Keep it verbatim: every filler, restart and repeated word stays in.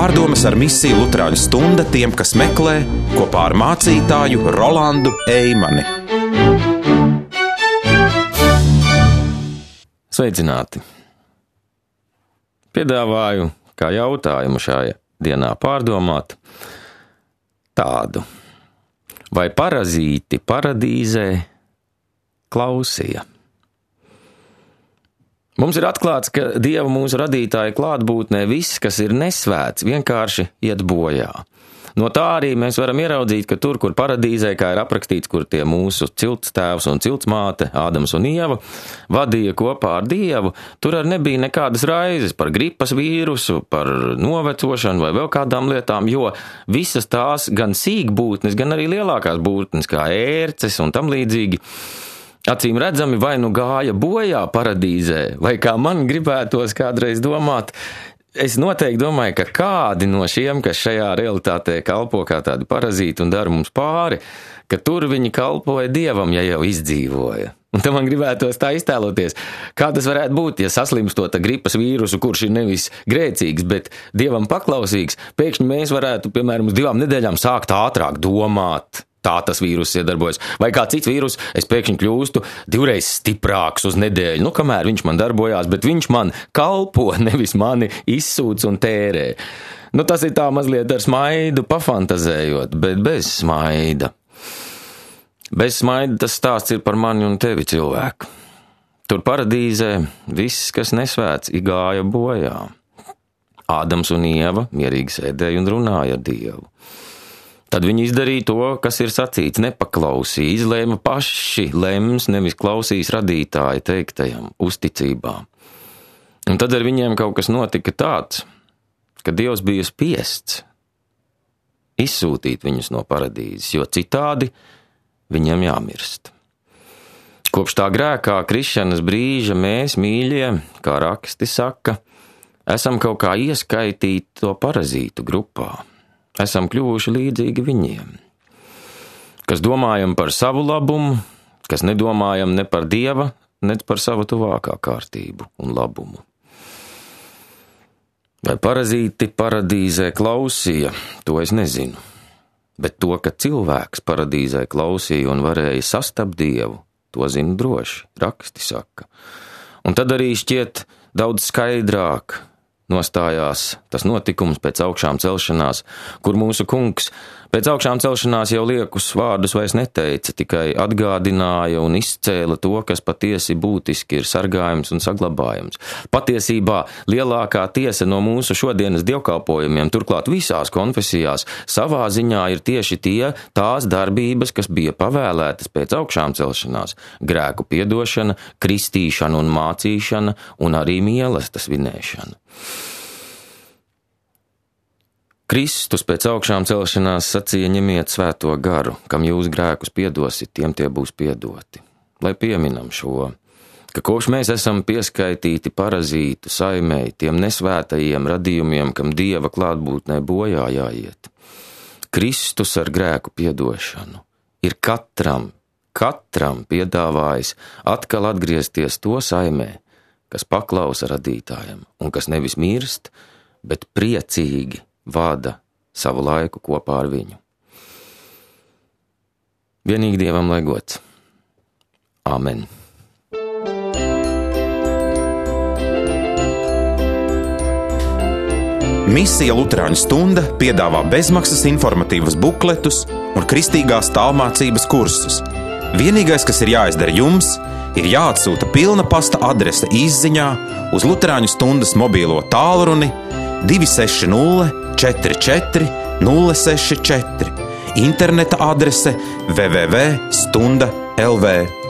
Pārdomas ar misiju Luterāņu stunda tiem, kas meklē, kopā ar mācītāju Rolandu Eimani. Sveicināti! Piedāvāju kā jautājumu šajā dienā pārdomāt tādu. Vai parazīti paradīzē klausīja? Mums ir atklāts, ka Dieva mūsu radītāja klātbūtnē viss, kas ir nesvēts, vienkārši iet bojā. No tā arī mēs varam ieraudzīt, ka tur, kur paradīzē, kā ir aprakstīts, kur tie mūsu cilts tēvs un cilts māte, Ādams un Ieva, vadīja kopā ar Dievu, tur arī nebija nekādas raizes par gripas vīrusu, par novecošanu vai vēl kādām lietām, jo visas tās gan sīkbūtnes, gan arī lielākās būtnes, kā ērces un tam līdzīgi, acīm redzami vai nu gāja bojā paradīzē, vai kā man gribētos kādreiz domāt, es noteikti domāju, ka kādi no šiem, kas šajā realitātē kalpo kā tādi parazīti un dara mums pāri, ka tur viņi kalpoja Dievam, ja jau izdzīvoja. Un tam man gribētos tā iztēloties, kā tas varētu būt, ja saslimstot ar gripas vīrusu, kurš ir nevis grēcīgs, bet Dievam paklausīgs, pēkšņi mēs varētu, piemēram, uz divām nedēļām sākt ātrāk domāt. Tā tas vīrus iedarbojas. Vai kā cits vīrus, es pēkšņi kļūstu divreiz stiprāks uz nedēļu, nu kamēr viņš man darbojās, bet viņš man kalpo, nevis mani izsūc un tērē. Nu tas ir tā mazliet ar smaidu pafantazējot, bet bez smaida. Bez smaida tas stāsts ir par mani un tevi, cilvēku. Tur paradīzē viss, kas nesvēts, gāja bojā. Ādams un Ieva mierīgi sēdēja un runāja ar Dievu. Tad viņi izdarīja to, kas ir sacīts, nepaklausīja, izlēma paši lems, nevis klausīs radītāja teiktajam, uzticībā. Un tad ar viņiem kaut kas notika tāds, ka Dievs bija spiests izsūtīt viņus no paradīzes, jo citādi viņiem jāmirst. Kopš tā grēkā krišanas brīža mēs, mīļie, kā raksti saka, esam kaut kā ieskaitīti to parazītu grupā. Esam kļuvuši līdzīgi viņiem, kas domājam par savu labumu, kas nedomājam ne par Dieva, ne par savu tuvākā kārtību un labumu. Vai parazīti paradīzē klausīja, to es nezinu, bet to, ka cilvēks paradīzē klausīja un varēja sastapt Dievu, to zinu droši, raksti saka. Un tad arī šķiet daudz skaidrāk nostājās tas notikums pēc augšām celšanās, kur mūsu kungs pēc augšām celšanās jau liekus vārdus vairs neteica, tikai atgādināja un izcēla to, kas patiesi būtiski ir sargājums un saglabājums. Patiesībā lielākā tiesa no mūsu šodienas dievkalpojumiem, turklāt visās konfesijās, savā ziņā ir tieši tie tās darbības, kas bija pavēlētas pēc augšām celšanās – grēku piedošana, kristīšana un mācīšana un arī mīlestības svinēšana. Kristus pēc augšām celšanās sacīja: ņemiet svēto garu, kam jūs grēkus piedosit, tiem tie būs piedoti. Lai pieminam šo, ka kopš mēs esam pieskaitīti parazītu saimei, tiem nesvētajiem radījumiem, kam Dieva klātbūtnē bojā jāiet. Kristus ar grēku piedošanu ir katram, katram piedāvājis atkal atgriezties to saimē, kas paklausa radītājam un kas nevis mirst, bet priecīgi vada savu laiku kopā ar viņu. Vienīgi Dievam lai gods. Āmen. Misija Luterāņu stunda piedāvā bezmaksas informatīvas bukletus un kristīgās tālmācības kursus. Vienīgais, kas ir jāizdara jums, ir jāatsūta pilna pasta adrese izziņā uz Luterāņu stundas mobīlo tālruni divi seši nulle četri četri nulle seši četri, interneta adrese w w w punkt stunda punkt l v.